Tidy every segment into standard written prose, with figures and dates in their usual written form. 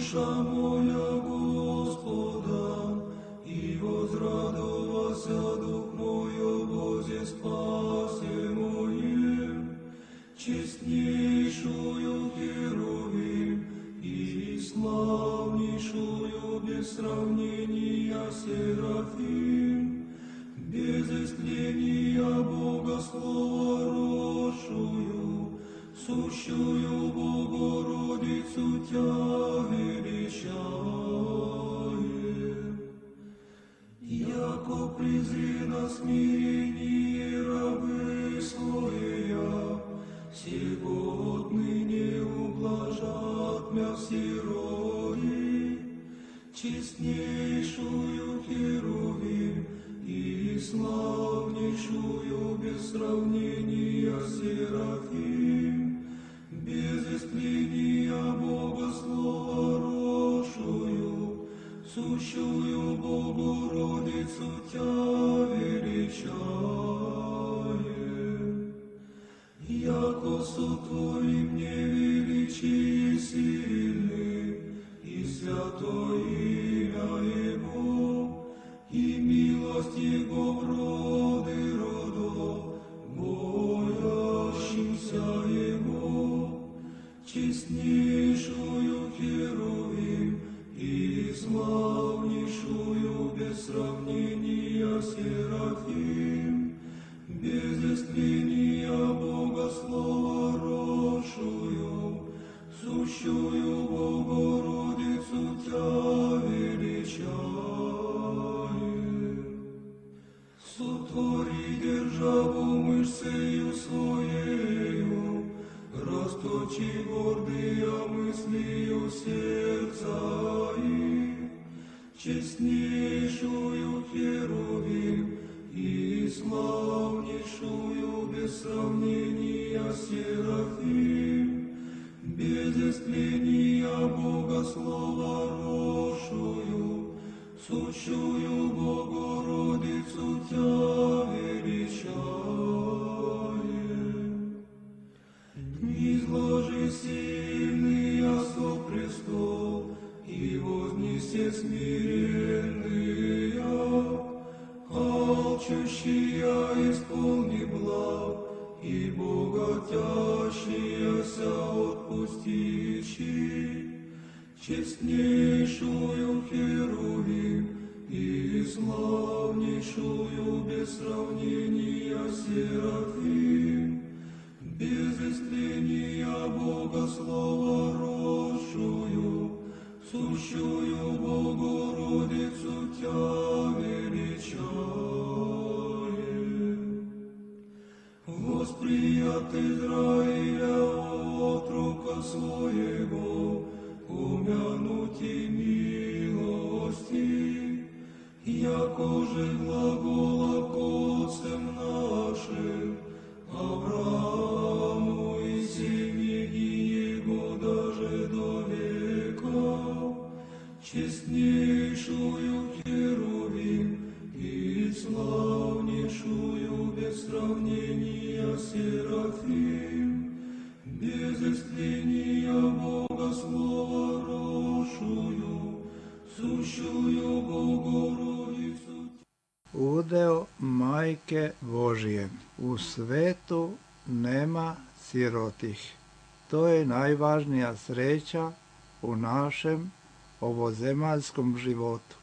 Душа моя Господа, и возрадовался дух мой о Бозе спасе моем, честнейшую Херувим и славнейшую без сравнения Серафим, без истления Бога Слова росшую, сущую Богородицу Тя величаем. Яко презри на смирение рабы своя, сего отныне ублажат мя сирои, честнейшую Херувим и славнейшую без сравнения Серафим, без истления Бога Слова росшую, сущую Богородицу Тя величаем. Яко сотвори мне величие сильны, и святое имя Его, и милость Его в роды родов, боящимся Его, честнейшую Херувим и славнейшую без сравнения Серафим, без истления Бога Слова росшую, сущую Богородицу Тя величаем. Сотвори державу мышцею своею, расточи гордые мыслью сердца их, честнейшую Херувим и славнейшую без сравнения Серафим, без истления Бога Слова росшую, сущую Богородицу Тя величаем. Низложи сильные со престол, и вознесе смиренные, алчущие исполни благ, и богатящиеся отпустищи, честнейшую Херувим и славнейшую без сравнения Серафим, без истления Бога Слова росшую, сущую Богородицу Тя величаем. Восприят Израиля отрока своего, помянути милости, яко же глагола к отцам нашим, Аврааму и семьи его даже до века, честнейшую Херувим и славнейшую без сравнения Серафим, без истления Бога Слова росшую, сущую Богородицу. Udeo Majke Božije. U svetu nema sirotih. To je najvažnija sreća u našem ovozemaljskom životu.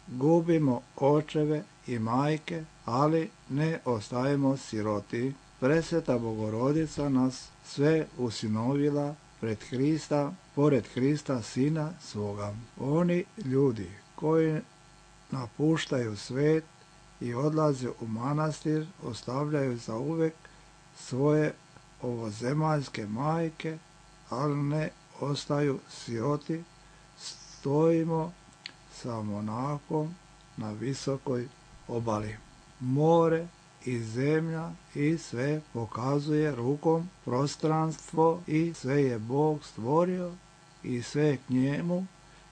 Gubimo očeve i majke, ali ne ostajemo siroti. Presveta Bogorodica nas sve usinovila pred Hrista, pored Hrista Sina svoga. Oni ljudi koji napuštaju svet i odlaze u manastir, ostavljaju zauvek svoje ovozemaljske majke, ali ne ostaju siroti. Stojimo sa monahom na visokoj obali. More i zemlja i sve pokazuje rukom prostranstvo i sve je Bog stvorio i sve je k njemu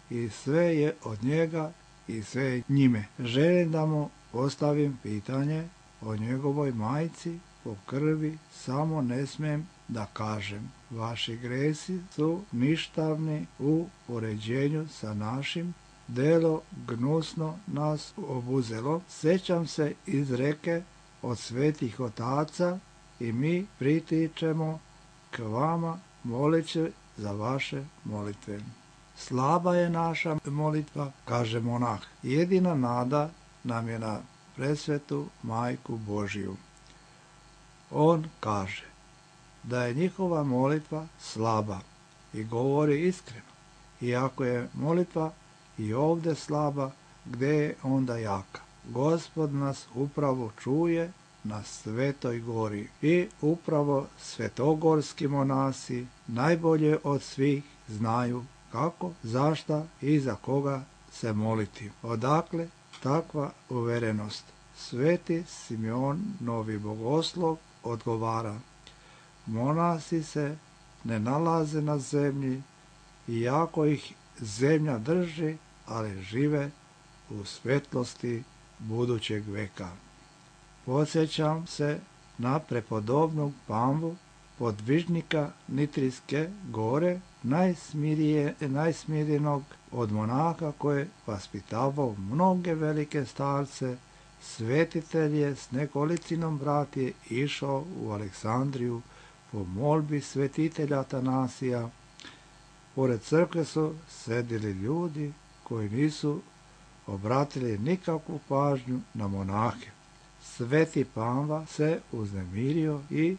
i sve je od njega i sve je njime. Želim da mu postavim pitanje o njegovoj majci po krvi, samo ne smijem da kažem, vaši gresi su ništavni u poređenju sa našim, delo gnusno nas obuzelo. Sjećam se izreke od svetih otaca i mi pritičemo k vama moleći za vaše molitve. Slaba je naša molitva, kaže monah. Jedina nada nam je na presvetu Majku Božiju. On kaže da je njihova molitva slaba i govori iskreno. I ako je molitva i ovdje slaba, gdje je onda jaka? Gospod nas upravo čuje na Svetoj gori i upravo svetogorski monasi najbolje od svih znaju kako, zašta i za koga se moliti. Odakle takva uverenost? Sveti Simeon, novi bogoslov, odgovara: monasi se ne nalaze na zemlji, iako ih zemlja drži, ali žive u svetlosti budućeg veka. Podsjećam se na prepodobnog Pamvu, podvižnika Nitrijske gore, najsmirijenog od monaha koje vaspitavao mnoge velike starce. Svetitelj je s nekolicinom bratije išao u Aleksandriju po molbi svetitelja Atanasija. Pored crkve su sedili ljudi koji nisu obratili nikakvu pažnju na monahe. Sveti Pamva se uznemirio i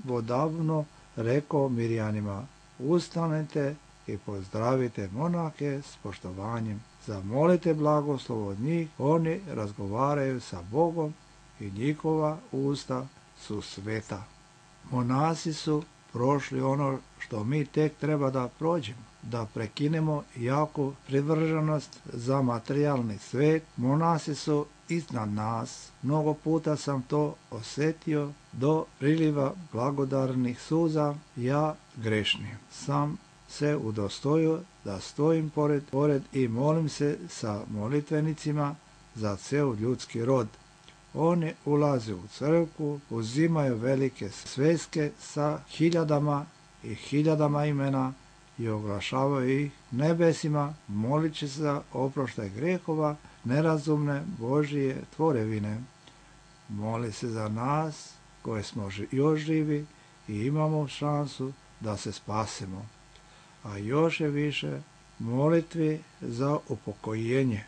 navodavno rekao Mirjanima: ustanite i pozdravite monahe s poštovanjem. Zamolite blagoslov od njih, oni razgovaraju sa Bogom i njihova usta su sveta. Monasi su prošli ono što mi tek treba da prođemo, da prekinemo jaku privrženost za materijalni svet. Monasi su iznad nas. Mnogo puta sam to osjetio do priliva blagodarnih suza. Ja grešni sam se udostojio da stojim pored i molim se sa molitvenicima za ceo ljudski rod. Oni ulaze u crkvu, uzimaju velike sveske sa hiljadama i hiljadama imena i oglašavaju ih nebesima, molići se za oproštaj grehova nerazumne Božije tvorevine. Moli se za nas koji smo još živi i imamo šansu da se spasemo. A još je više molitvi za upokojenje.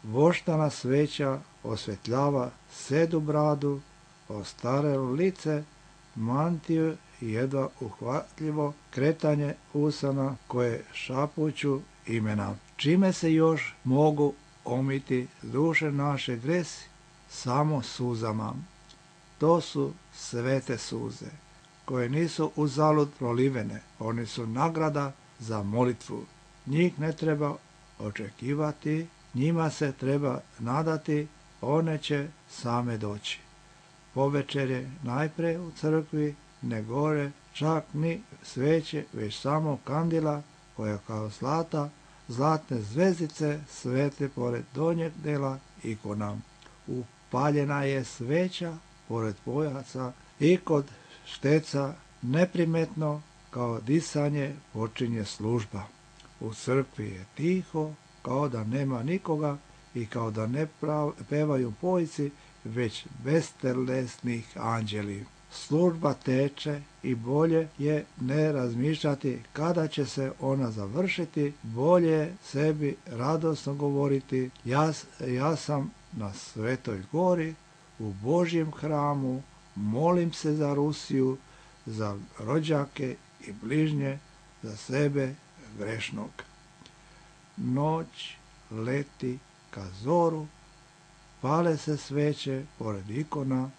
Voštana sveća osvetljava sedu bradu, ostarelo lice, mantiju i jedva uhvatljivo kretanje usana koje šapuću imena. Čime se još mogu omiti duše naše gresi? Samo suzama. To su svete suze, koje nisu uzalud prolivene. Oni su nagrada za molitvu. Njih ne treba očekivati, njima se treba nadati, one će same doći. Povečer je najpre u crkvi ne gore čak ni sveće, već samo kandila koja kao zlatne zvezdice svete pored donjeg dela ikona. Upaljena je sveća pored pojaca i kod šteca neprimetno kao disanje počinje služba. U crkvi je tiho, kao da nema nikoga i kao da ne pevaju pojci, već bestelesnih anđeli. Služba teče i bolje je ne razmišljati kada će se ona završiti, bolje je sebi radosno govoriti: ja sam na Svetoj gori, u Božjem hramu, molim se za Rusiju, za rođake i bližnje, za sebe grešnog. Noć leti ka zoru, pale se sveće pored ikona,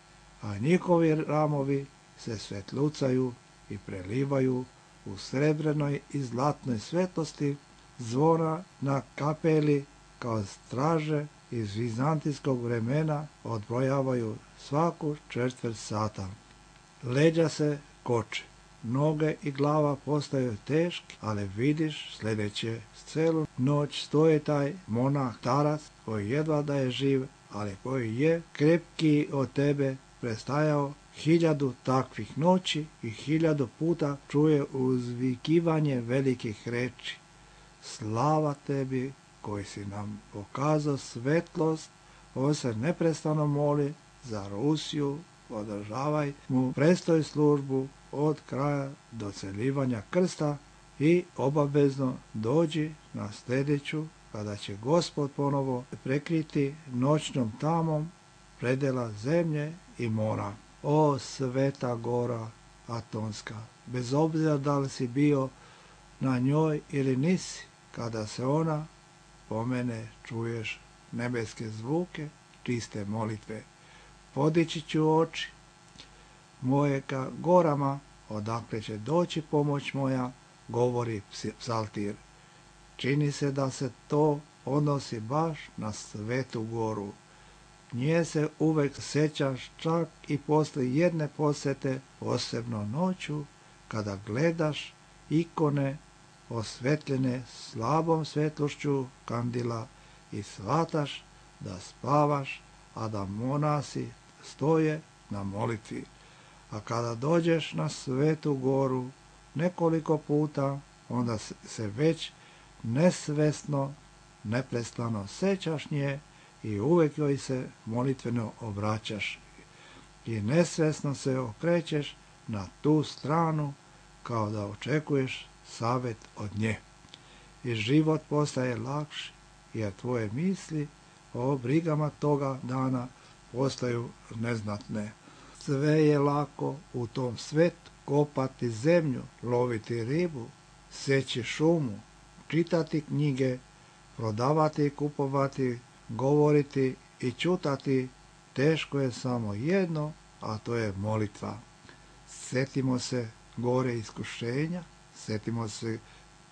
a njihovi ramovi se svetlucaju i prelivaju u srebrenoj i zlatnoj svetlosti. Zvona na kapeli kao straže iz vizantijskog vremena odbrojavaju svaku četvrt sata. Leđa se koče, noge i glava postaju teški, ali vidiš sljedeće: celu noć stoji taj monah starac koji jedva da je živ, ali koji je krepkiji od tebe, prestajao 1000 takvih noći i 1000 puta čuje uzvikivanje velikih reči. Slava tebi koji si nam pokazao svetlost. On se neprestano moli za Rusiju, održavaj mu prestoj službu od kraja do celivanja krsta i obavezno dođi na sljedeću, kada će Gospod ponovo prekriti noćnom tamom predela zemlje i mora. O sveta gora Atonska, bez obzira da li si bio na njoj ili nisi, kada se ona pomene čuješ nebeske zvuke, čiste molitve. Podići ću oči moje ka gorama, odakle će doći pomoć moja, govori psaltir. Čini se da se to odnosi baš na Svetu goru. Nje se uvek sećaš čak i posle jedne posete, posebno noću, kada gledaš ikone osvetljene slabom svetlošću kandila i shvataš da spavaš, a da monasi stoje na molitvi. A kada dođeš na Svetu goru nekoliko puta, onda se već nesvesno, neprestano sećaš nje i uvek joj se molitveno obraćaš i nesvesno se okrećeš na tu stranu kao da očekuješ savjet od nje. I život postaje lakši jer tvoje misli o brigama toga dana postaju neznatne. Sve je lako u tom svetu, kopati zemlju, loviti ribu, seći šumu, čitati knjige, prodavati i kupovati, govoriti i čutati. Teško je samo jedno, a to je molitva. Sjetimo se gore iskušenja, sjetimo se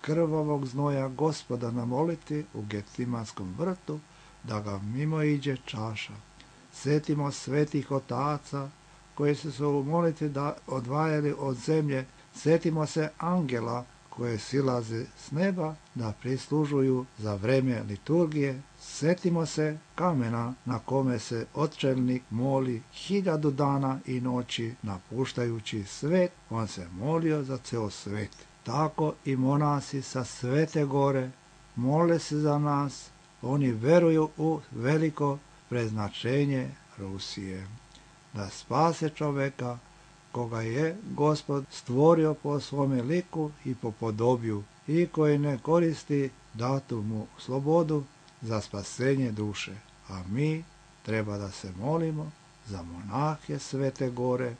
krvavog znoja Gospoda na molitvi u Gecemanskom vrtu, da ga mimo iđe čaša. Sjetimo svetih otaca koji su se u molitvi odvajali od zemlje. Sjetimo se angela koje silaze s neba da prislužuju za vreme liturgije. Sjetimo se kamena na kome se očelnik moli 1000 dana i noći napuštajući svet. On se molio za ceo svet. Tako i monasi sa Svete gore mole se za nas. Oni veruju u veliko preznačenje Rusije, da spase čoveka koga je Gospod stvorio po svome liku i po podobiju i koji ne koristi datu mu slobodu za spasenje duše. A mi treba da se molimo za monahe Svete gore,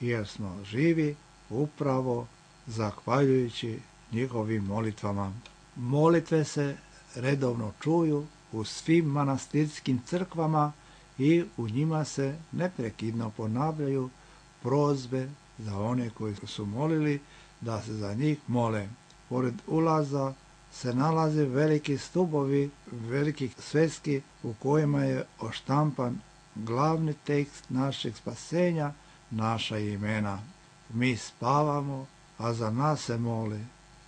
jer smo živi upravo zahvaljujući njihovim molitvama. Molitve se redovno čuju u svim manastirskim crkvama i u njima se neprekidno ponavljaju prozbe za one koji su molili da se za njih mole. Pored ulaza se nalaze veliki stubovi, velikih sveski u kojima je oštampan glavni tekst našeg spasenja, naša imena. Mi spavamo, a za nas se mole.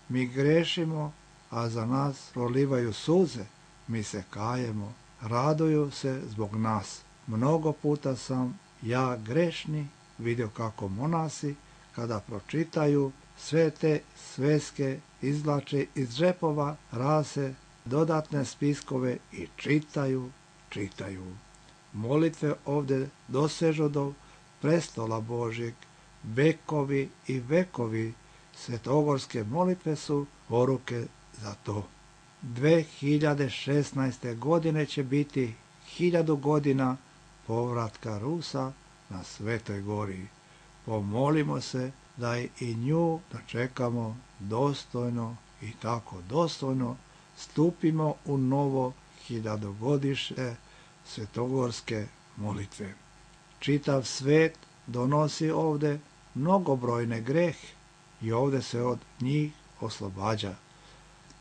Mi grešimo, a za nas prolivaju suze. Mi se kajemo, raduju se zbog nas. Mnogo puta sam ja grešni vidio kako monasi, kada pročitaju sve te sveske, izvlače iz džepova rase dodatne spiskove i čitaju. Molitve ovdje dosežu do prestola Božjeg. Vekovi i vekovi svetogorske molitve su poruke za to. 2016. godine će biti 1000 godina povratka Rusa na Svetoj gori. Pomolimo se da i nju dočekamo dostojno i tako dostojno stupimo u novo 1000-godišnje svetogorske molitve. Čitav svet donosi ovdje mnogobrojne grehe i ovdje se od njih oslobađa.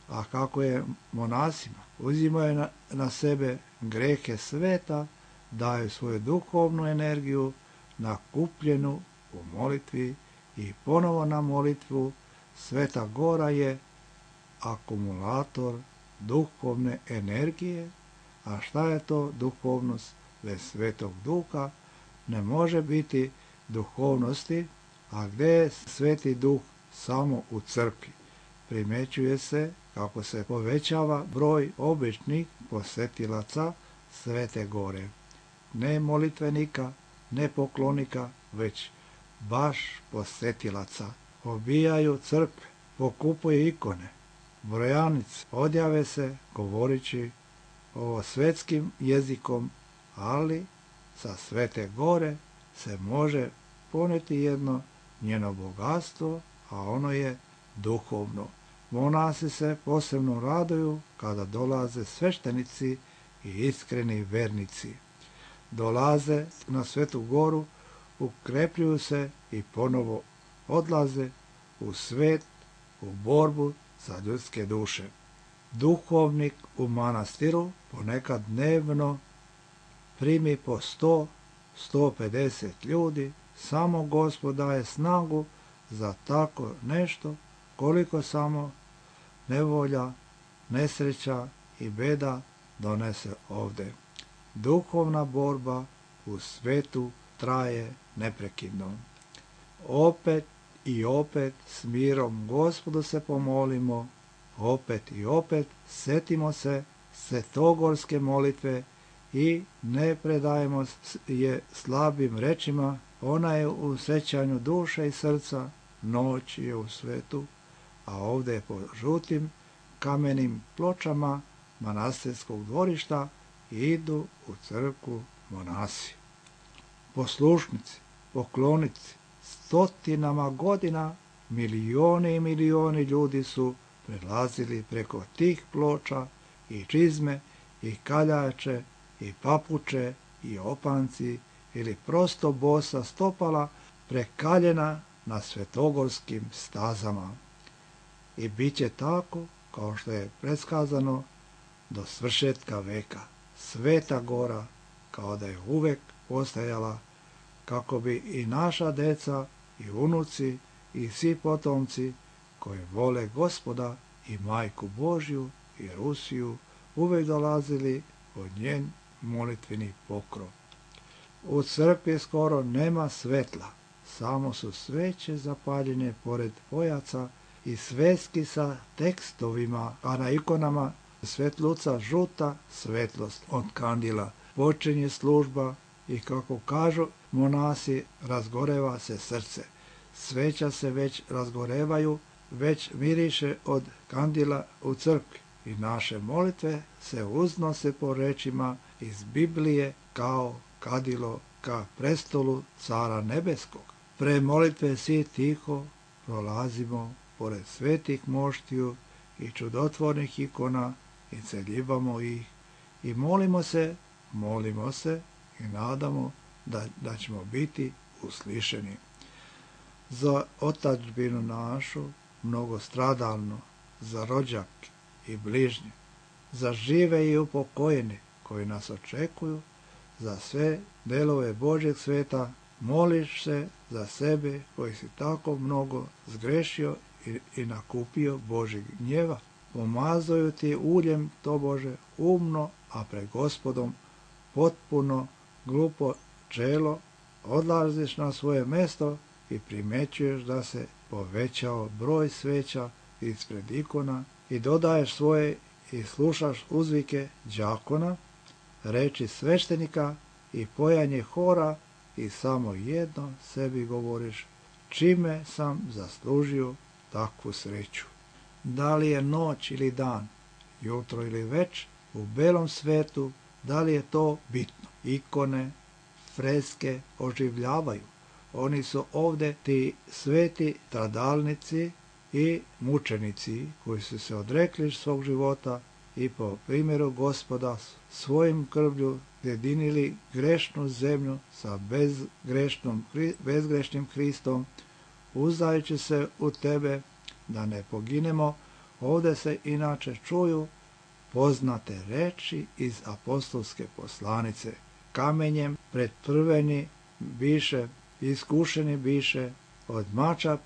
A kako je monasima? Uzimaju na sebe grehe sveta, daju svoju duhovnu energiju nakupljenu u molitvi i ponovo na molitvu. Sveta gora je akumulator duhovne energije. A šta je to duhovnost bez Svetog Duha? Ne može biti duhovnosti, a gdje je Sveti Duh? Samo u crkvi. Primjećuje se kako se povećava broj običnih posjetilaca Svete Gore. Ne molitvenika, ne poklonika, već baš posjetilaca. Obijaju crkve, pokupuju ikone, brojanice, odjave se govorići ovo svetskim jezikom, ali sa Svete Gore se može poneti jedno njeno bogatstvo, a ono je duhovno. Monasi se posebno raduju kada dolaze sveštenici i iskreni vernici. Dolaze na Svetu Goru, ukrepljuju se i ponovo odlaze u svet, u borbu za ljudske duše. Duhovnik u manastiru ponekad dnevno primi po 100, 150 ljudi, samo Gospod daje snagu za tako nešto, koliko samo nevolja, nesreća i beda donese ovdje. Duhovna borba u svetu traje neprekidno. Opet i opet s mirom Gospodu se pomolimo, opet i opet setimo se svetogorske molitve i ne predajemo je slabim rečima. Ona je u sećanju duše i srca, noć je u svetu, a ovdje po žutim kamenim pločama manastirskog dvorišta idu u crkvu monasi. Poslušnici, poklonici, stotinama godina milijoni i milijoni ljudi su prelazili preko tih ploča i čizme i kaljače i papuče i opanci ili prosto bosa stopala prekaljena na svetogorskim stazama. I bit će tako kao što je predskazano do svršetka veka. Sveta Gora kao da je uvek postajala kako bi i naša deca i unuci i svi potomci koji vole Gospoda i Majku Božju i Rusiju uvek dolazili od njen molitveni pokrov. U crkvi skoro nema svetla, samo su sveće zapaljene pored pojaca i sveski sa tekstovima, a na ikonama svetluca žuta svetlost od kandila. Počinje služba i kako kažu monasi, razgoreva se srce. Sveća se već razgorevaju, već miriše od kandila u crkvi i naše molitve se uznose po rečima iz Biblije kao kadilo ka prestolu Cara Nebeskog. Pre molitve svi tiho prolazimo pored svetih moštiju i čudotvornih ikona i celjivamo ih i molimo se i nadamo da ćemo biti uslišeni. Za otadžbinu našu mnogostradalnu, za rođake i bližnje, za žive i upokojene koji nas očekuju, za sve delove Božjeg sveta, moliš se za sebe koji si tako mnogo zgrešio i nakupio Božjeg gnjeva. Pomazuju ti uljem tobože umno, a pred Gospodom potpuno glupo čelo, odlaziš na svoje mesto i primećuješ da se povećao broj sveća ispred ikona i dodaješ svoje i slušaš uzvike đakona, reči sveštenika i pojanje hora i samo jedno sebi govoriš, čime sam zaslužio takvu sreću. Da li je noć ili dan, jutro ili več, u belom svetu, da li je to bitno? Ikone, freske oživljavaju. Oni su ovdje ti sveti stradalnici i mučenici koji su se odrekli svog života i po primjeru Gospoda svojim krvlju jedinili grešnu zemlju sa bezgrešnim Hristom, uzdajući se u tebe da ne poginemo. Ovdje se inače čuju poznate reči iz apostolske poslanice. Kamenjem pretprveni biše, iskušeni biše, od mača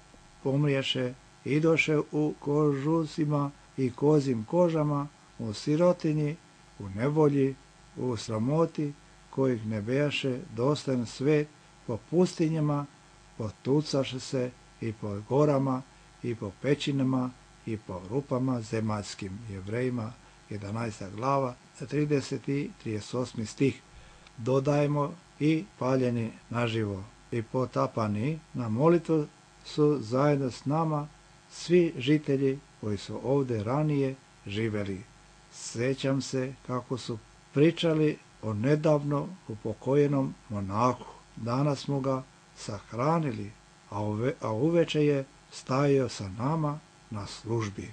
pomriješe, idoše u kožusima i kozim kožama, u sirotinji, u nevolji, u sramoti, kojih ne bejaše dostojan svet, po pustinjama potucaše se i po gorama, i po pećinama, i po rupama zemaljskim. Jevrejima 11. glava, 30. i 38. stih. Dodajmo i paljeni naživo i potapani na molitvu su zajedno s nama svi žitelji koji su ovdje ranije živjeli. Sjećam se kako su pričali o nedavno upokojenom monahu. Danas smo ga sahranili, a uveče je stajao sa nama na službi.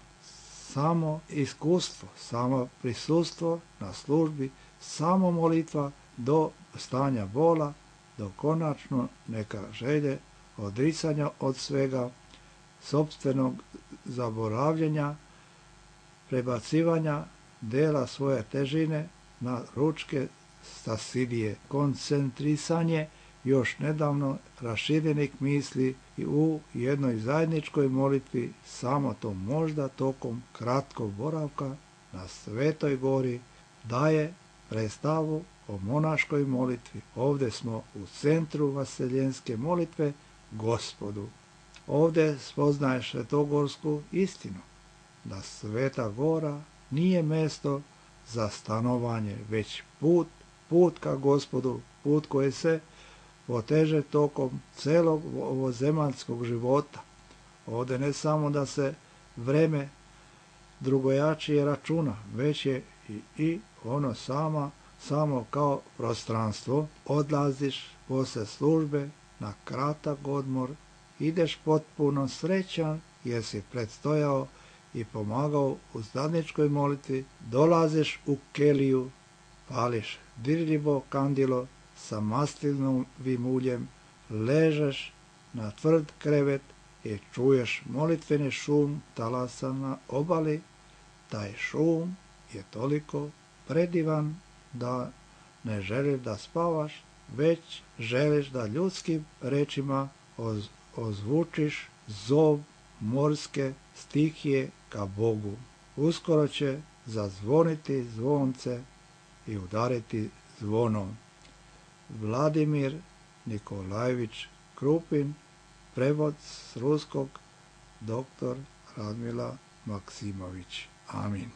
Samo iskustvo, samo prisustvo na službi, samo molitva do stanja bola, do konačno neka želje odricanja od svega, sopstvenog zaboravljenja, prebacivanja dela svoje težine na ručke stasidije, koncentrisanje još nedavno raširenih misli i u jednoj zajedničkoj molitvi, samo to možda tokom kratkog boravka na Svetoj gori daje predstavu o monaškoj molitvi. Ovdje smo u centru vaseljenske molitve Gospodu. Ovdje spoznaješ svetogorsku istinu, da Sveta gora nije mjesto za stanovanje, već put ka Gospodu, put koji se poteže tokom celog ovozemaljskog života. Ovdje ne samo da se vreme drugojačije računa, već je i ono samo kao prostranstvo. Odlaziš posle službe na kratak odmor, ideš potpuno srećan jer si predstojao i pomagao u zadnjičkoj molitvi, dolaziš u keliju, pališ dirljivo kandilo sa maslinovim uljem, ležeš na tvrd krevet i čuješ molitveni šum talasa na obali. Taj šum je toliko predivan da ne želiš da spavaš, već želiš da ljudskim rečima ozvučiš zov morske stihije ka Bogu. Uskoro će zazvoniti zvonce i udariti zvonom. Vladimir Nikolajević Krupin, prevod s ruskog, dr. Radmila Maksimović. Amin.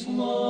Lord.